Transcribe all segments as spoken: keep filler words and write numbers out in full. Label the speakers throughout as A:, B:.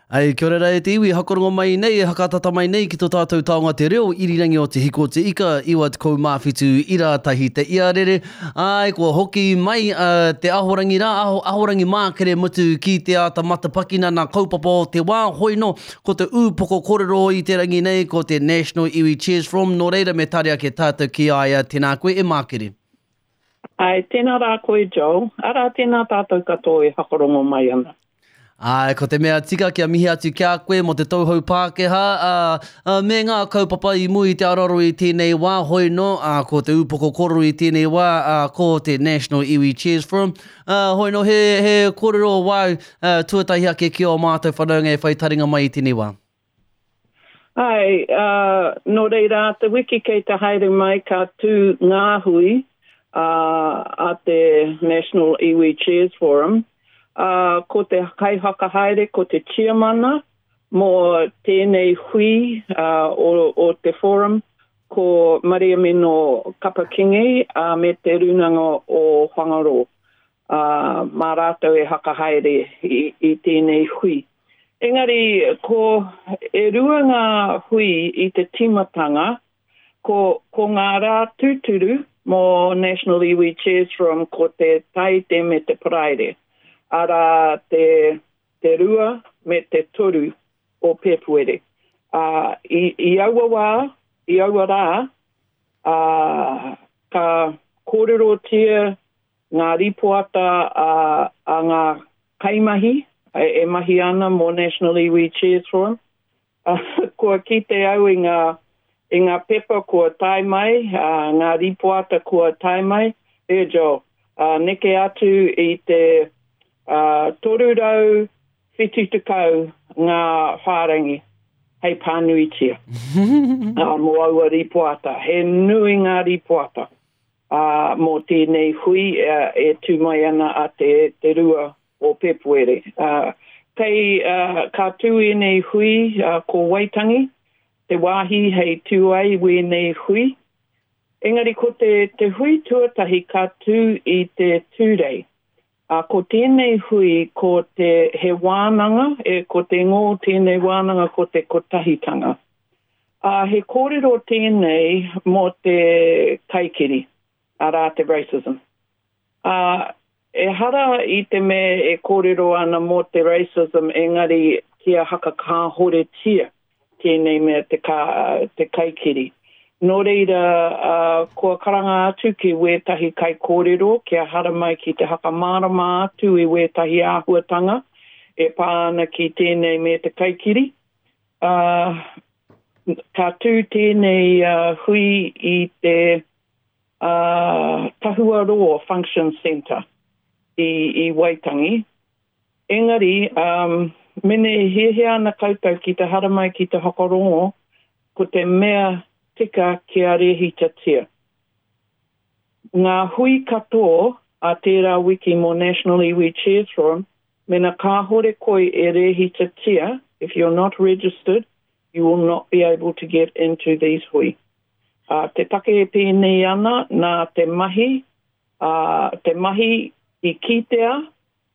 A: Ai, kia ora rā e te iwi, hakarongo mai nei, e hakatata mai nei ki tō tātou taonga te reo, irirangi o te hiko te ika, iwa tekau mā whitu ira tahi te iarere. Ai, kua hoki mai uh, te ahorangi rā, aho, ahorangi mākere mutu ki te āta matapakina nā kaupapa o te wā, hoi no, ko te ūpoko kōrero i te rangi nei, ko te National Iwi Chairs Forum, nō reira me tari ake tātou ki a ia, tēnā koe e mākere.
B: Ai, tēnā rā koe Joel, arā tēnā tātou katoa e hakarongo mai ana.
A: Ai, ko te mea tika kia mihi atu ki a koe mō te tauhou Pākehā ā, ā, me ngā kaupapa i mua i te aroaro i tēnei wā, hoi nō, ā, ko te ūpoko kōrero i tēnei wā, ā, ko te National Iwi Chairs Forum. Ā, hoi nō, he, he kōrero wāu ā, tuatahi ake ki ō mātou whanaunga e whai taringa mai i tēnei wā.
B: Ai, ā, nō reira, te wiki kei te haere mai ka tū ngā hui ā, a te National Iwi Chairs Forum. Ā, ko te kaiwhakahaere, ko te tiamana mō tēnei hui ā, o, o te forum, ko Mariameno Kapa Kingi ā, me te Rūnanga o Whangaroa. Ā, mā rātou e whakahaere i, i tēnei hui. Engari, ko e rua ngā hui i te tīmatanga, ko, ko ngā rā tūturu mō National Iwi Chairs Forum ko te Taite me te Paraire, arā te, te rua me te toru o Pēpuere. Ā, i, i aua wā, i aua rā, ā, ka kōrerotia ngā rīpoata a, a ngā kaimahi e, e mahi ana mō National Iwi Chairs Forum. Kua kite au i ngā, i ngā pepa kua tae mai, uh, ngā rīpoata kua tae mai, e Joel, uh, neke atu i te uh, toru rau whitu tekau ngā whārangi hei pānuitia uh, mō aua rīpoata. He nui ngā rīpoata uh, mō tēnei hui uh, e tū mai ana a te, te rua o Pēpuere. Uh, kei, uh, ka tū ēnei hui uh, ko Waitangi, te wāhi hei tū ai wēnei hui. Engari ko te, te hui tuatahi ka tū i te Tūrei. Uh, ko tēnei hui ko te he wānanga, e, ko te ngō tēnei wānanga ko te kotahitanga. Uh, he kōrero tēnei mō te kaikiri, arā te racism. Uh, ehara i te mea e kōrero ana mō te racism, engari kia hakakāhoretia tēnei mea te, ka, te kaikiri. Nō reira, uh, kua karanga atu ki wētahi kaikōrero kia haramai ki te hakamārama atu i wētahi āhuatanga e pā ana ki tēnei me te kaikiri. Uh, ka tū tēnei uh, hui i te uh, Tahuaroa Function Centre i, i Waitangi. Engari, um, mene e hiahia ana koutou ki te haramai ki te whakarongo, ko te mea tika kia rehitatia. Ngā hui katoa a tērā wiki mō National Iwi Chairs Forum, mena kāhore koe e rehitatia, if you're not registered, you will not be able to get into these hui. Uh, te take e pēnei ana nā te mahi, uh, te mahi i kitea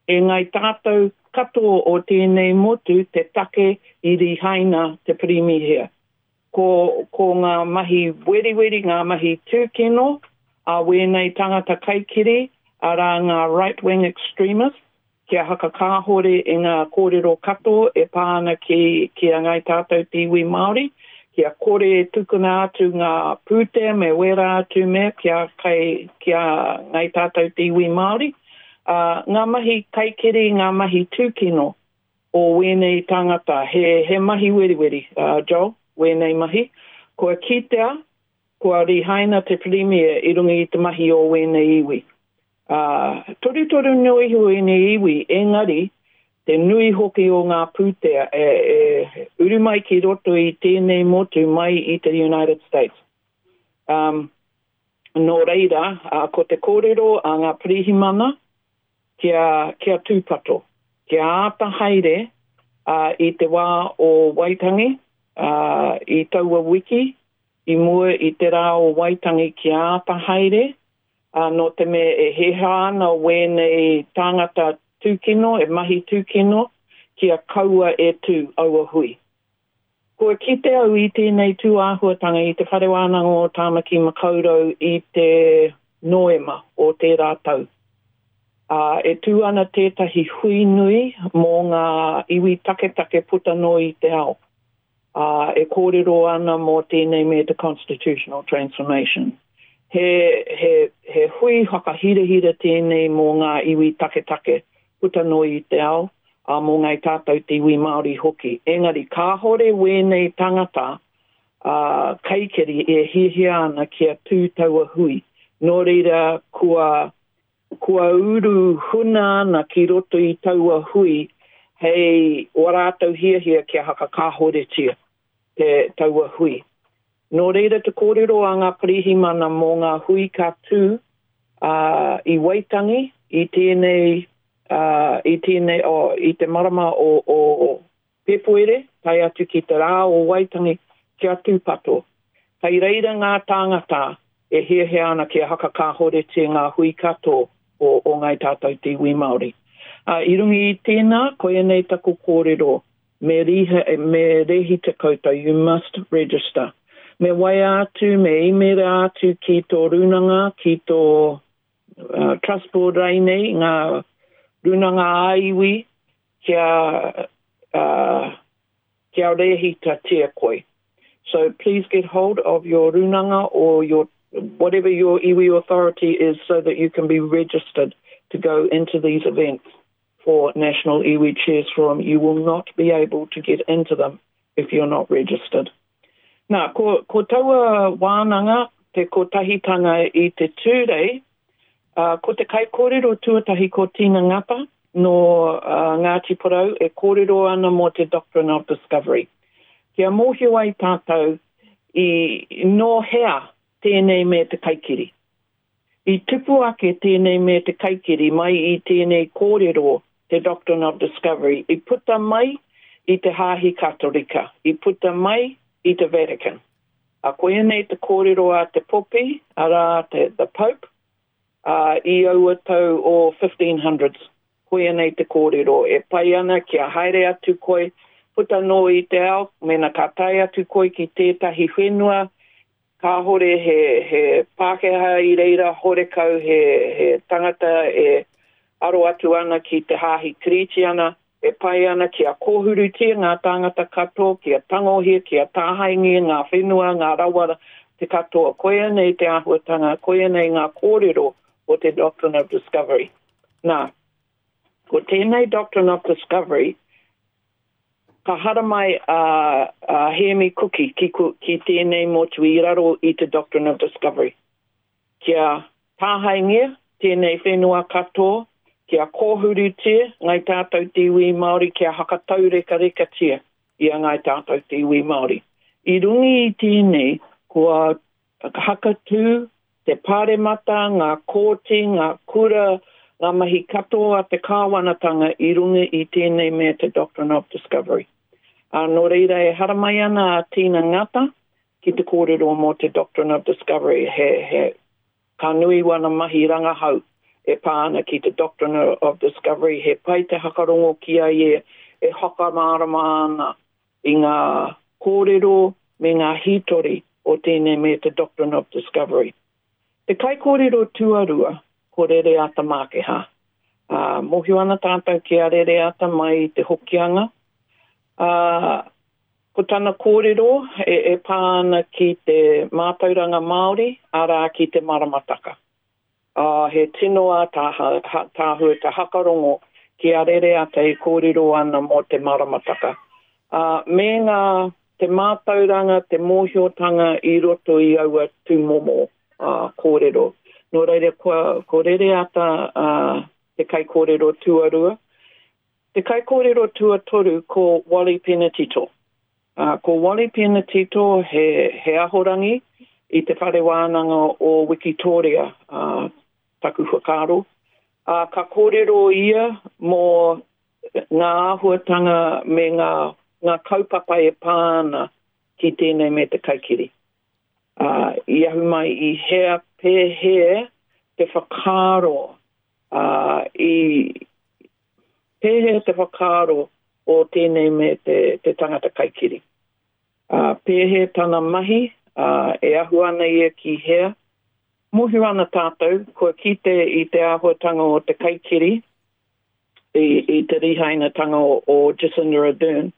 B: e ngai tātou katoa o tēnei motu te take i rihaina te pirimihia. Ko, ko ngā mahi weriweri, ngā mahi tūkino a wēnei tangata kaikiri, arā ngā right-wing extremists, kia hakakāhore i ngā kōrero katoa e pā ana ki, ki a ngai tātou te iwi Māori, kia kore e tukuna atu ngā pūtea me wērā atu mea kia, kai, kia ngai tātou te iwi Māori. Uh, ngā mahi kaikiri, ngā mahi tūkino o wēnei tangata, he, he mahi weriweri, uh, Joel, wēnei mahi. Kua kitea, kua rihaina te pirimia i runga i te mahi o wēnei iwi. Uh, torutoru nui iho ēnei iwi, engari, te nui hoki o ngā pūtea e, e uru mai ki roto i tēnei motu mai i te United States. Um, nō reira, uh, ko te kōrero a ngā pirihimana kia, kia tūpato, kia āta haere uh, i te wā o Waitangi, uh, i taua wiki, i mua i te rā o Waitangi kia āta haere, uh, nō te mea e heha ana wēnei tāngata tūkino, e mahi tūkino, kia kaua e tū aua hui. Kua kite au i tēnei tū āhuatanga i te Whare Wānanga o Tāmaki Makaurau i te Noema o tērā tau. Uh, e tū ana tētahi hui nui mō ngā iwi taketake puta noa i te ao. Uh, e kōrero ana mō tēnei me te Constitutional Transformation. He, he, he hui whakahirahira tēnei mō ngā iwi taketake puta noa i te ao, a mō ngai tātou te iwi Māori hoki. Engari, kāhore wēnei tangata uh, kaikiri e hiahia ana kia tū taua hui. Nō reira, kua, kua uru huna ana ki roto i taua hui hei o rātou hiahia kia hakakāhoretia te taua hui. Nō reira te kōrero a ngā pirihimana mō ngā hui ka tū uh, i Waitangi i tēnei Uh, i tēnei, oh, i te marama o, o, o Pepuere, tae atu ki te rā o Waitangi, kia tūpato. Hei reira ngā tāngata e hiahia ana kia hakakāhoretia ngā hui katoa o, o ngai tātou te iwi Māori. Uh, i runga i tēnā, koia nei taku kōrero, me, riha, me rehita koutou, you must register. Me waea atu, me imera atu ki tō rūnanga, ki tō uh, trust board rānei, ngā rūnanga ā-iwi, kia, uh, kia rehitatia koe. So please get hold of your rūnanga or your whatever your iwi authority is so that you can be registered to go into these events for National Iwi Chairs Forum. You will not be able to get into them if you're not registered. Nā, ko, ko taua wānanga, te kotahitanga i te Tūrei, uh, ko te kaikōrero tuatahi ko Tina Ngata no uh, Ngāti Porou e kōrero ana mō te Doctrine of Discovery. Kia mōhio ai tātou i nō hea tēnei me te kaikiri. I tupu ake tēnei me te kaikiri mai i tēnei kōrero te Doctrine of Discovery. I puta mai i te Hāhi Katorika. I puta mai i te Vatican. A koia nei te kōrero a te Popi, arā te the Pope, uh, i aua tau o fifteen hundreds. Koia nei te kōrero. E pai ana kia haere atu koe, puta noa i te ao, mena ka tae atu koe ki tētahi whenua, kāhore he, he Pākehā i reira, horekau he, he tangata e aro atu ana ki te hāhi Kiritīana, e pai ana kia kōhurutia ngā tāngata katoa, kia tangohia, kia tāhaingia ngā whenua, ngā rawa te katoa. Koia nei te āhuatanga, koia nei ngā kōrero o te Doctrine of Discovery. Nā, ko tēnei Doctrine of Discovery, ka haramai a, a Hēmi Kuki ki, ki tēnei motu i raro i te Doctrine of Discovery. Kia tāhaingia tēnei whenua katoa, kia kōhurutia ngai tātou te iwi Māori, kia hakataurekarekatia i a ngai tātou te iwi Māori. I runga i tēnei, kua hakatū te paremata, ngā kōti, ngā kura, ngā mahi katoa a te kāwanatanga i runga i tēnei me te Doctrine of Discovery. Uh, nō reira e haramai ana a Tina Ngata ki te kōrero mō te Doctrine of Discovery. He, he, ka nui wana mahi rangahau e pā ana ki te Doctrine of Discovery. He pai te hakarongo ki a ia e hakamārama ana i ngā kōrero me ngā hītori o tēnei me te Doctrine of Discovery. Te kaikōrero tuarua, ko Rereata Mākeha. Uh, mōhio ana tātou ki a Rereata mai i te Hokianga. Uh, ko tana kōrero e, e pā ana ki te mātauranga Māori, arā ki te maramataka. Uh, he tino ātaahua te hakarongo ki a Rereata e kōrero ana mō te maramataka. Uh, me ngā te mātauranga, te mōhiotanga i roto i aua tūmomo uh, kōrero. Nō reira, ko, ko Rereata uh, te kaikōrero tuarua. Te kaikōrero tuatoru ko Wally Penetito. Uh, ko Wally Penetito he, he ahorangi i te whare wānanga o Wikitoria, uh, taku whakaaro. Uh, ka kōrero ia mō ngā āhuatanga me ngā, ngā kaupapa e pā ana ki tēnei me te kaikiri. Uh, i ahu mai i hea pēhea te whakaaro, uh, i pēhea te whakaaro o tēnei me te, te tangata kaikiri. Uh, pēhea tana mahi, uh, e ahu ana ia ki hea. Mōhio ana tātou, kua kite i te āhuatanga o te kaikiri, i, i te rihainatanga o, o Jacinda Ardern,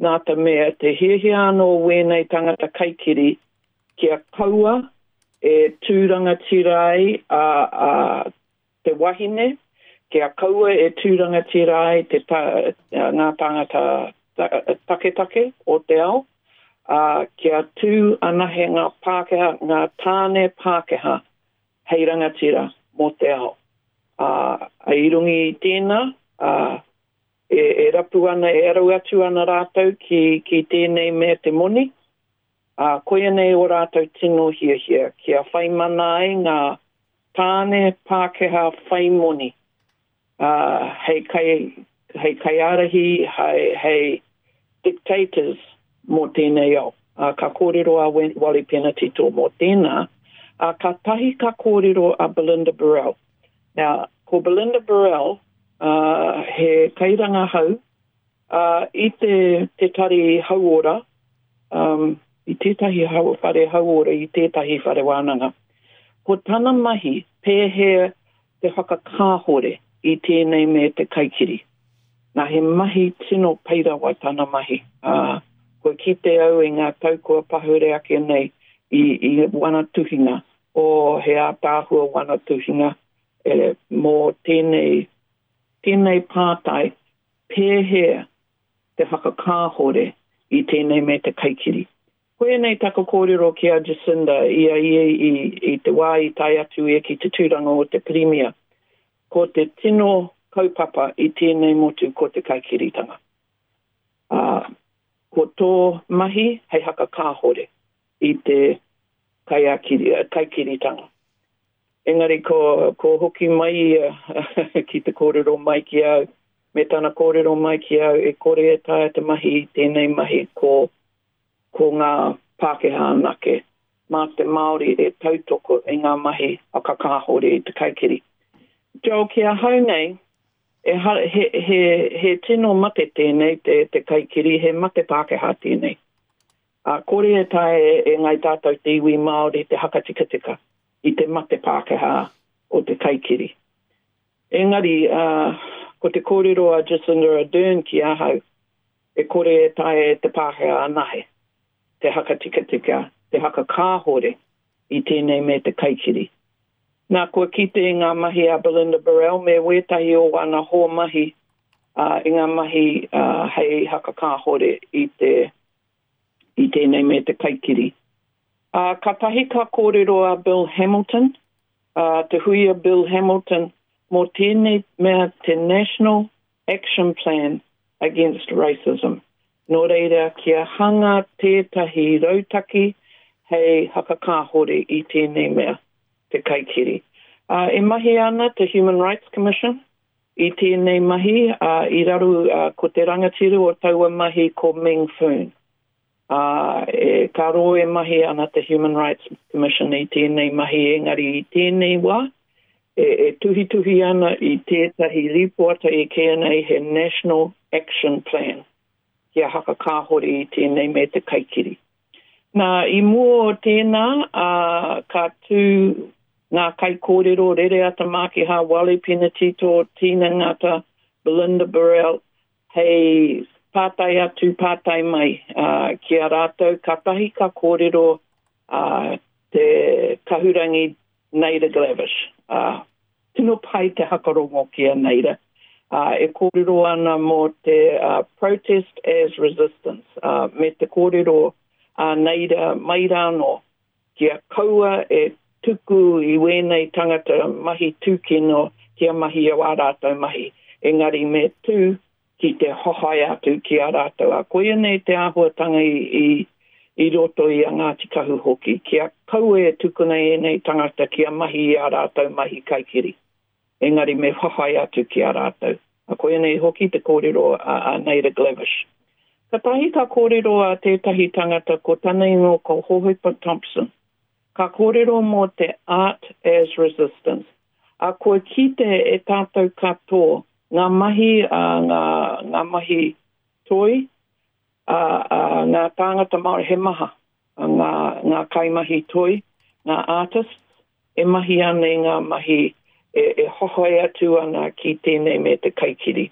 B: nā te mea te hiahia anō wēnei tangata kaikiri kia kaua e tū rangatira ai a, a te wahine, kia kaua e tū rangatira ai te ta, ngā tāngata ta, taketake o te ao, uh, kia tū anahe ngā Pākehā, ngā tāne Pākehā hei rangatira mō te ao. Uh, i runga i tēnā, uh, e, e rapu ana, e aru atu ana rātou ki, ki tēnei mea te moni, uh, koia nei o rātou tino hiahia, kia whai mana ai ngā tāne Pākehā whai moni, uh, hei, kai, hei kaiārahi, hei, hei dictators mō tēnei ao. Uh, ka kōrero a Wally Penetito mō tēnā, uh, ka tahi ka kōrero a Belinda Burrell. Now, ko Belinda Burrell, uh, he kairangahau uh, i te, te tari hauora, um, i tētahi hau, whare hauora, i tētahi whare wānanga. Ko tana mahi pēhea te whakakāhore i tēnei me te kaikiri. Nā, he mahi tino pai rawa tana mahi. Uh, kua kite au i ngā tau kua pahure ake nei i, i wana tuhinga, o he ātaahua wana tuhinga e, mō tēnei, tēnei pātai pēhea te whakakāhore i tēnei me te kaikiri. Koia nei taku kōrero ki a Jacinda i a ia i, i te wā i tae atu ia ki te tūranga o te Pirimia. Ko te tino kaupapa i tēnei motu ko te kaikiritanga. Uh, ko tō mahi hei hakakāhore i te kaiakiri, kaikiritanga. Engari ko, ko hoki mai ia ki te kōrero mai ki au, me tana kōrero mai ki au e kore e taea te mahi i tēnei mahi ko, ko ngā Pākehā anake. Mā te Māori e tautoko i ngā mahi whakakāhore i te kaikiri. Joel, ki ahau nei, e ha, he, he, he tino mate tēnei te, te kaikiri, he mate Pākehā tēnei. Uh, kore e taea e, e ngai tātou te iwi Māori te hakatikatika i te mate Pākehā o te kaikiri. Engari, uh, ko te kōrero a Jacinda Ardern ki ahau, e kore e taea e te Pākehā anahe, te hakatikatika, te hakakāhore i tēnei me te kaikiri. Nā, kua kite i ngā mahi a Belinda Burrell me wētahi o ana hoa mahi uh, i ngā mahi uh, hei hakakāhore i te i tēnei me te kaikiri. Uh, ka tahi ka kōrero a Bill Hamilton, uh, te hui a Bill Hamilton, mō tēnei mea te National Action Plan Against Racism. Nō reira, kia hanga tētahi rautaki hei hakakāhore i tēnei mea, te kaikiri. Uh, e mahi ana te Human Rights Commission i tēnei mahi, uh, i raru uh, ko te rangatira o taua mahi ko Meng Foon. Uh, e, ka roa e mahi ana te Human Rights Commission i tēnei mahi, engari i tēnei wā, e, e tuhituhi ana i tētahi rīpoata e kīia nei he National Action Plan kia hakakāhore i tēnei me te kaikiri. Nā, i mua o tēnā, uh, ka tū ngā kaikōrero Rereata Mākiha, Wally Penetito, Tina Ngata, Belinda Burrell, hei pātai atu, pātai mai uh, ki a rātou, katahi ka kōrero uh, te kahurangi Naida Glavish. Uh, tino pai te hakarongo ki a Naida. Uh, e kōrero ana mō te uh, protest as resistance, uh, me te kōrero a Naida mai rānō, kia kaua e tuku i wēnei tangata mahi tūkino kia mahi o ā rātou mahi. Engari me tū ki te hohai atu ki a rātou. A koia nei te āhuatanga i, i, i roto i a Ngāti Kahu hoki, kia kaua e tukuna ēnei tangata kia mahi i a rātou mahi kaikiri. Engari me whawhai atu ki a rātou. A koia nei hoki te kōrero a, a Naida Glavish. Katahi ka kōrero a tētahi tangata ko tana ingoa ko Hohepa Thompson. Ka kōrero mō te art as resistance. A kua kite e tātou katoa ngā mahi, uh, ngā, ngā mahi toi, ā, ā, ngā tāngata Māori he maha, ngā, ngā kaimahi toi, ngā artists, e mahi ana i ngā mahi e, e hohoi atu ana ki tēnei me te kaikiri.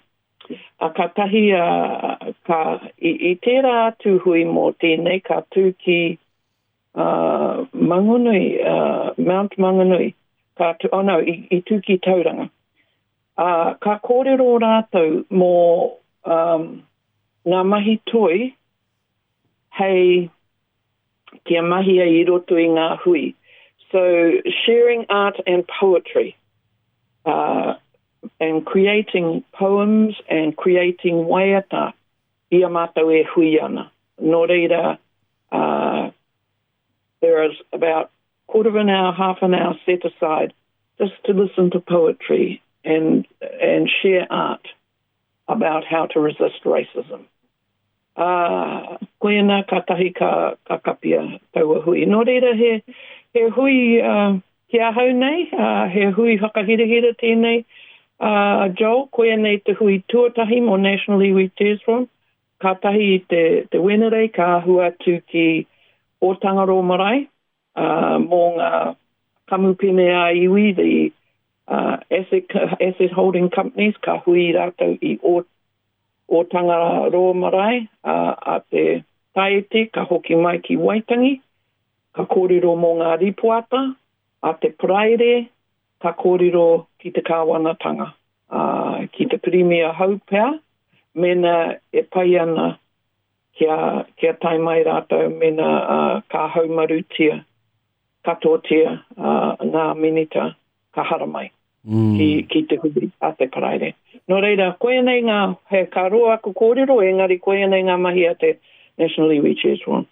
B: A ka tahi, a, ka, i, i tērā atu hui mō tēnei, ka tū ki uh, Mangonui, uh, Mount Mangonui, ka tū, oh no, i, i tū ki Tauranga. Uh, ka kōrero rātou mō um, ngā mahi toi hei kia mahia i roto i ngā hui. So, sharing art and poetry, uh, and creating poems and creating waiata i a mātou e hui ana. Nō reira, uh, there is about quarter of an hour, half an hour set aside just to listen to poetry and, and share art about how to resist racism. Ā, koina kātahi ka, ka kapia taua hui. Nō reira he, he hui uh, ki ahau nei, uh, he hui whakahirahira tēnei. Uh, Joel, koia nei te hui tuatahi mō National Iwi Chairs Forum. Kātahi i te, te Wenerei ka ahu atu ki Ōtangaroa Marae, uh, mō ngā kamupene a iwi, the uh, asset, asset holding companies, ka hui rātou i o, Ōtangaroa Marae, uh, a te Taete, ka hoki mai ki Waitangi, ka kōrero mō ngā ripoata, a te Paraire, ka kōrero ki te kāwanatanga, uh, ki te Pirimia hou pea, mena e pai ana kia, kia tae mai rātou, mena uh, ka haumarutia, katoatia uh, ngā minita ka haramai mm. ki, ki te hui a te Paraire. Nō reira, koia nei ngā, he ka roa aku kōrero, engari koia nei ngā mahi a te National Iwi Chairs Forum.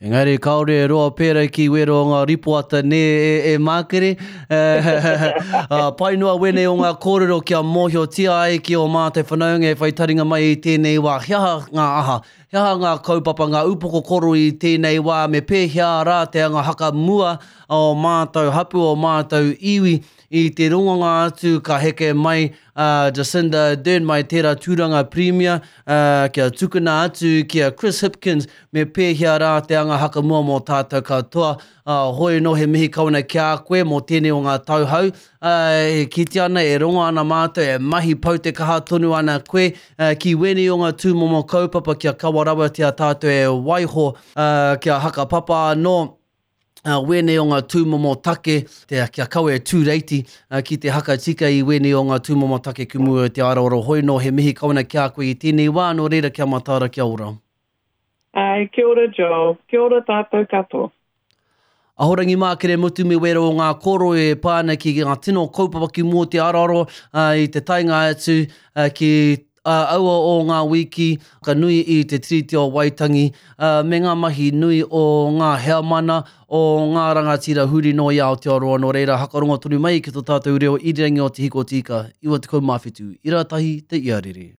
A: Engari kāore e roa pērā ki wero o ngā ripoata nē e, e Mākere. Uh, pai noa wēnei o ngā kōrero kia mōhiotia ai ki o mātou whanaunga e whai taringa mai i tēnei wā. He aha ngā aha? He aha ngā kaupapa, ngā upoko koro i tēnei wā? Me pēhea rā te anga haka mua o mātou hapu, o mātou iwi i te rongonga atu ka heke mai uh, Jacinda Ardern mai tērā tūranga Premier uh, kia tukuna atu ki a Chris Hipkins me pēhea rā te anga haka mua mō tātou katoa. Uh, hoi no he mihi kawana ki a koe mō tēnei o ngā tauhau. Uh, e kite ana, e rongo ana mātou, e mahi pau te kaha tonu ana koe uh, ki wēnei o ngā tūmomo kaupapa kia kawa rawa tia tātou e waiho uh, kia hakapapa anō Uh, wēnei o ngā tūmomo take, te, kia kawe e tūreiti uh, ki te hakatika i wēnei o ngā tūmomo take ki mua i te aroaro. Hoi no he mihi kawana ki a koe i tēnei wā, nō reira kia mataara, kia ora.
B: Ai, kia ora Joel, kia ora tātou katoa.
A: Ahorangi Mākere Mutu me wero o ngā koro e pā ana ki ngā tino kaupapa ki mua te aroaro uh, i te taenga atu uh, ki uh, aua o ngā wiki ka nui i te Tiriti o Waitangi uh, me ngā mahi nui o ngā heamana o ngā rangatira huri noa i Aotearoa. Nō reira hakarongo tonu mai ki tō tātou reo irirangi o Te Hiko Tika, iwa tekau mā whitu, ira tahi te iarere.